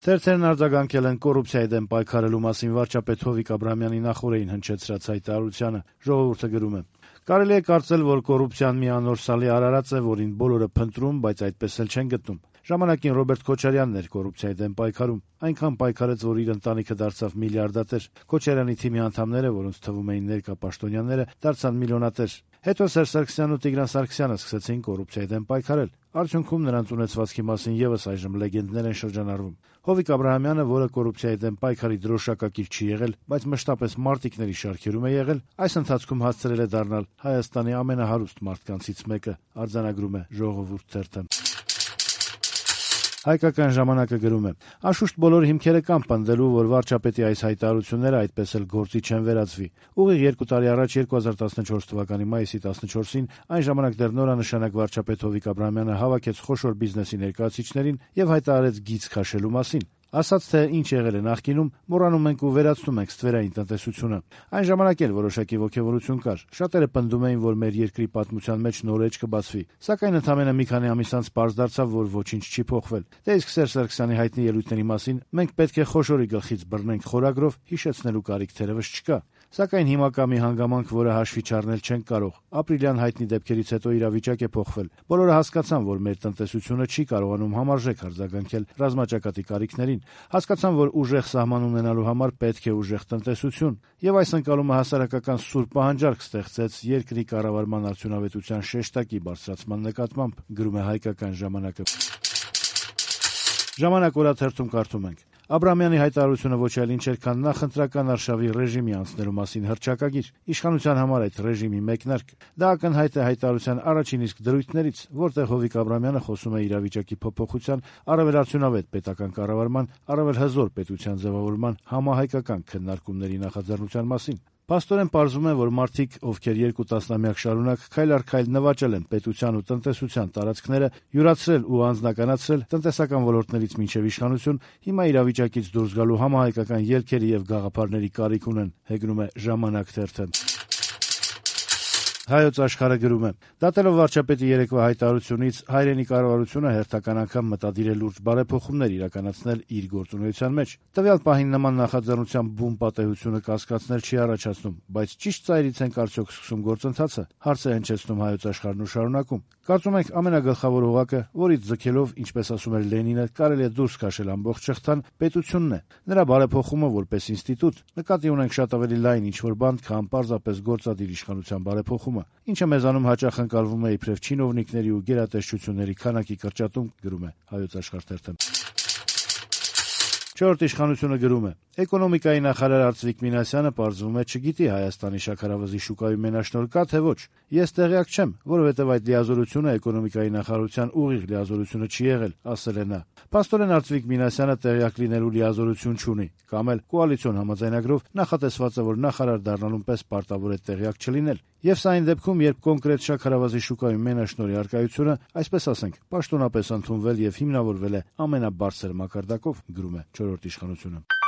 Թերթերն արձագանքել են կոռուպցիայի դեմ պայքարելու մասին վարչապետ Հովիկ Աբրահամյանի նախօրեին հնչեցրած հայտարարությանը։ Ժողովուրդը գրում է. «Կարելի է կարծել, որ կոռուպցիան մի անորսալի արարած է, որին բոլորը փնտրում, բայց այդպես էլ չեն գտնում։ Ժամանակին Ռոբերտ Քոչարյանն էր կոռուպցիայի դեմ պայքարում, այնքան պայքարեց, որ իր ընտանիքը դարձավ միլիարդատեր։ Քոչարյանի թիմի անդամները, որոնց թվում էին ներկա պաշտոնյաները, դարձան միլիոնատեր։ Հետո Սերժ Սարգսյանն ու Տիգրան Սարգսյանը սկսեցին կոռուպցիայի դեմ պայքարել։ Արդյունքում նրանց ունեցվածքի մասին եւս այժմ լեգենդներ են շրջանառվում։ Հովիկ Աբրահամյանը, որը կոռուպցիայի դեմ պայքարի դրոշակակիր չի եղել, բայց մշտապես մարտիկների շարքերում է եղել, այս ընթացքում հասցրել է դառնալ Հայաստանի ամենահարուստ մարդկանցից մեկը», արձանագրում է Ժողովուրդ թերթը։ Հայկական ժամանակը գրում է. «Անշուշտ բոլոր հիմքերը կան պնդելու, որ վարչապետի այս հայտարարությունները այդպես էլ գործի չեն վերածվի։ Ուղիղ 2 տարի առաջ 2014 թվականի մայիսի 14-ին այն ժամանակ դեռ նորանշանակ վարչապետ Հովիկ Աբրահամյանը հավաքեց խոշոր բիզնեսի ներկայացուցիչներին եւ հայտարարեց գիծ քաշելու մասին։ Ասաց, թե ինչ եղել է նախկինում, մոռանում ենք ու վերացնում ենք ստվերային տնտեսությունը։ Այն ժամանակ էլ որոշակի ոգևորություն կար։ Շատերը պնդում էին, որ մեր երկրի պատմության մեջ նոր էջ կբացվի։ Սակայն ընդամենը մի քանի ամիս անց պարզ դարձավ, որ ոչինչ չի փոխվել։ Դե իսկ Սերժ Սարգսյանի հայտնի ելույթների մասին մենք պետք է խոշորի գլխից բռնենք խորագրով, հիշեցնելու կարիք թերևս չկա։ Սակայն հիմա կա մի հանգամանք, որը հաշվի չառնել չենք կարող։ Ապրիլյան հայտնի դեպքերից հետո իրավիճակ է փոխվել։ Բոլորը հասկացան, որ մեր տնտեսությունը չի կարողանում համարժեք արձագանքել ռազմաճակատի կարիքներին։ Հասկացան, որ ուժեղ սահման ունենալու համար պետք է ուժեղ տնտեսություն, եւ այս ընկալումը հասարակական սուր պահանջարկ ստեղծեց երկրի կառավարման արդյունավետության շեշտակի բարձրացման նկատմամբ, գրում է Հայկական ժամանակը։ Ժամանակ օրաթերթում կարդում ենք. Աբրահամյանի հայտարարությունը ոչ այլ ինչ էր, քան նախընտրական արշավի ռեժիմի անցնելու մասին հռչակագիր, իշխանության համար այդ ռեժիմի մեկնարկ։ Դա ակնհայտ է հայտարարության առաջին իսկ դրույթներից, որտեղ Հովիկ Աբրահամյանը խոսում է իրավիճակի փոփոխության, առավել արդյունավետ պետական կառավարման, առավել հզոր պետության ձևավորման համահայկական քննարկումների նախաձեռնության մասին։ Փաստորեն պարզվում է, որ մարդիկ, ովքեր 2 տասնամյակ շարունակ քայլ առ քայլ նվաճել են պետության ու տնտեսության տարածքները, յուրացրել ու անձնականացրել տնտեսական ոլորտներից մինչև իշխանություն, հիմա իրավիճակից դուրս գալու համահայկական ելքերի եւ գաղափարների կարիք ունեն, հեգնում է Ժամանակ թերթը։ Հայոց Աշխարհը գրում է. «Դատելով վարչապետի երեկվա հայտարարությունից, հայրենի կառավարությունը հերթական անգամ մտադիր է լուրջ բարեփոխումներ իրականացնել իր գործունեության մեջ։ Տվյալ պահին նման նախաձեռնության բուն պատեհությունը կասկածներ չի առաջացնում, բայց ճիշտ ծայրից ենք արդյոք սկսում գործընթացը», հարց է հնչեցնում Հայոց Աշխարհն ու շարունակում. «Կարծում ենք ամենագլխավոր օղակը, որից ձգելով, ինչպես ասում էր Լենինը, կարելի է դուրս քաշել ամբողջ շղթան, պետությունն է, նրա բարեփոխումը որպես ինստիտուտ, նկատի ունենք շատ ավելի լայն ինչ-որ բան, քան պարզապես գործադիր իշխանության բարեփոխումը, ինչը մեզանում հաճախ ընկալվում է իբրև չինովնիկների ու գերատեսչությունների քանակի կրճատում», գրում է Հայոց Աշխարհ թերթը։ Չորրորդ իշխանությունը գրում է. «Էկոնոմիկայի նախարար Արծվիկ Մինասյանը պարզվում է չգիտի Հայաստանի շաքարավազի շուկայում մենաշնորհ կա թե ոչ։ Ես տեղյակ չեմ, որովհետև այդ լիազորությունը էկոնոմիկայի նախարարության ուղիղ լիազորությունը չի եղել», ասել է նա։ Փաստորեն Արծվիկ Մինասյանը տեղյակ լինելու լիազորություն չունի, կամ էլ կոալիցիոն համաձայնագրով նախատեսված է, որ նախարար դառնալուն պես պարտավոր է տեղյակ չլինել։ Եվ սա այն դեպքում, երբ կոնկրետ շաքարավազի շուկայում մենաշնորհի առկայությունը, այսպես ասենք, պաշտոնապես ընդունվել եւ հիմնավորվել է ամենաբարձր մակարդակով, գրում է Չորրորդ իշխանությունը։